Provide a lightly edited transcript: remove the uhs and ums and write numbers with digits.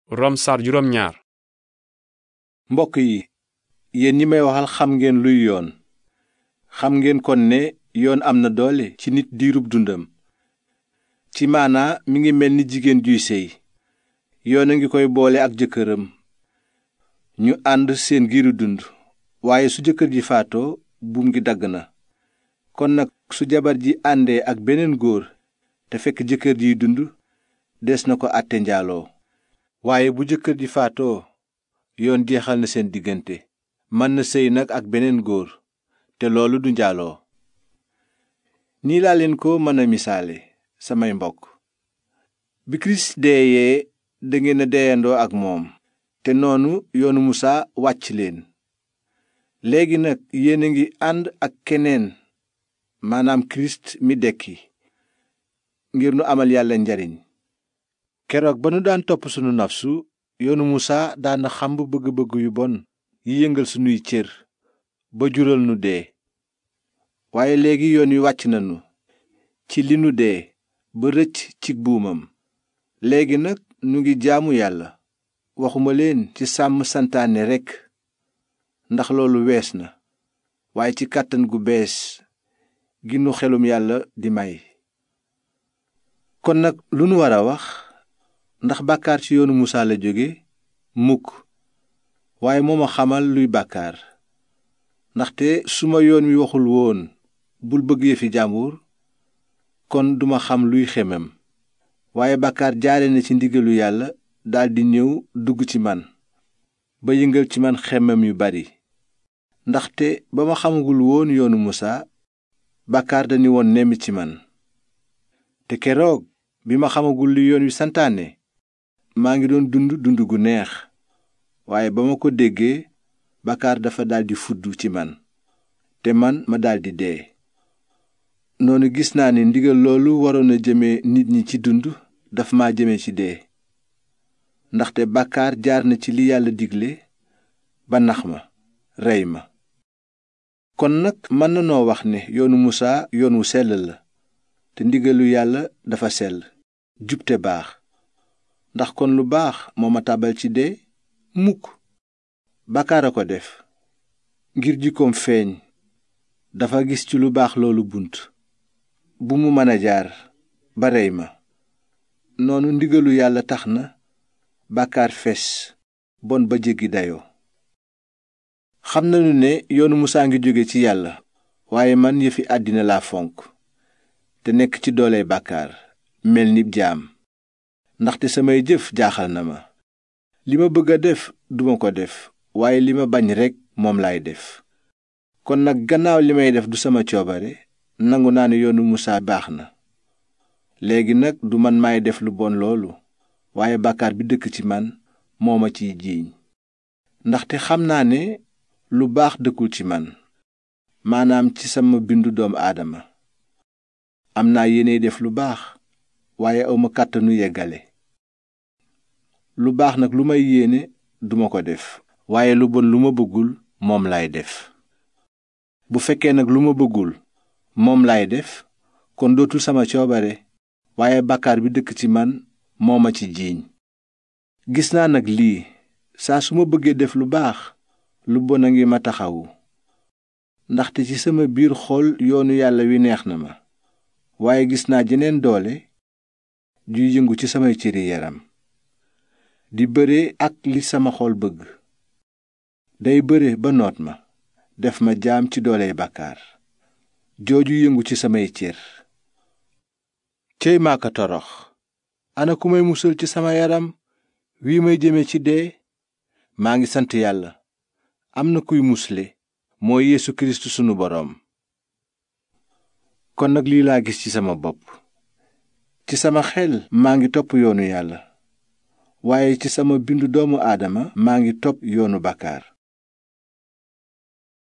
Rom sar juróom ñaar. mbokk yi yéen ñi may waxal xam ngeen luy yoon. xam ngeen kon ne yoon am na doole ci nit diirub dundam. ci maanaa mi ngi mel ni jigéen juy séy. yoon a ngi koy boole ak jëkkëram ñu ànd seen giiru dund, waaye su jëkkër ji faatoo buum gi dagg na. kon nag su jabar ji àndee ak beneen góor te fekk jëkkër jiy dund, des na ko àtte njaaloo. waaye bu jëkkër ji faatoo yoon jeexal na seen diggante. mën na séy nag ak beneen góor te loolu du njaaloo. nii laa leen ko mën a misaale, samay mbokk. bi kirist deeyee dangeen a deyandoo ak moom, te noonu yoonu musaa wàcc leen. léegi nag yéen a ngi ànd ak keneen, maanaam kirist mi dekki, ngir nu amal yàlla njariñ. keroog ba nu daan topp sunu nafsu, yoonu musaa daana xamb bëgg-bëgg yu bon yi yëngal sunuy cër ba jural nu dee. waaye léegi yoon wi wàcc nanu ci li nu dee ba rëcc ci buumam. léegi nag nu ngi jaamu yàlla, waxuma leen ci sàmm santaane rekk, ndax loolu wees na, waaye ci kàttan gu bees gi nu xelum yàlla di may. kon nag lu nu war a wax? ndax bàkkaar ci yoonu musaa la jóge? mukk. waaye moo ma xamal luy bàkkaar. ndaxte su ma yoon wi waxul woon bul bëgg yëfi jàmbur, kon duma xam luy xemem. waaye bàkkaar jaare na ci ndigalu yàlla daldi ñëw dugg ci man, ba yëngal ci man xemem yu bari. ndaxte ba ma xamagul woon yoonu musaa, bàkkaar dañu woon nemm ci man. te keroog bi ma xamagul li yoon wi santaane, maa ngi doon dund gu neex. waaye ba ma ko déggee, bàkkaar dafa daldi fudd ci man, te man ma daldi dee. noonu gis naa ni ndigal loolu waroon a jëme nit ñi ci dund daf ma jëme ci dee. ndaxte bàkkaar jaar na ci li yàlla digle ba nax ma, rey ma. kon nag mën na noo wax ne yoonu musaa yoon wu sell la, te ndigalu yàlla dafa sell, jub te baax. ndax kon lu baax moo ma tàbbal ci dee? mukk. bàkkaar a ko def, ngir jikkoom feeñ, dafa gis ci lu baax loolu bunt bu mu mën a jaar ba rey ma. noonu ndigalu yàlla tax na bàkkaar fes, bon ba jéggi dayoo. xam nañu ne yoonu musaa ngi jóge ci yàlla, waaye man yëfi àddina laa fonk, te nekk ci dooley bàkkaar, mel ni jaam. ndaxte samay jëf jaaxal na ma. li ma bëgg a def duma ko def, waaye li ma bañ rekk moom laay def. kon nag gannaaw li may def du sama coobare, nangu naa ne yoonu musaa baax na. léegi nag du man maay def lu bon loolu, waaye bàkkaar bi dëkk ci man moo ma ciy jiiñ. ndaxte xam naa ne lu baax dëkkul ci man, maanaam ci sama bindu doomu aadama. am naa yéene def lu baax, waaye awma kàttanu yeggale. lu baax nag lu may yéene duma ko def, waaye lu bon lu ma bëggul moom laay def. bu fekkee nag lu ma bëggul moom laay def, kon dootul sama coobare, waaye bàkkaar bi dëkk ci man moo ma ci jiiñ. gis naa nag lii, saa su ma bëggee def lu baax, lu bon a ngi ma taxawu. ndaxte ci sama biir xol yoonu yàlla wi neex na ma, waaye gis naa jeneen doole juy yëngu ci samay cëri yaram, di bëre ak li sama xol bëgg. day bëre ba noot ma, def ma jaam ci dooley bàkkaar jooju yëngu ci samay cër. cey maa ko torox! ana ku may musal ci sama yaram wii may jëme ci dee? maa ngi sant yàlla, am na kuy musle, mooy Yeesu Kirist sunu boroom. kon nag lii laa gis ci sama bopp. ci sama xel maa ngi topp yoonu yàlla, waaye ci sama bindu doomu aadama maa ngi topp yoonu bàkkaar.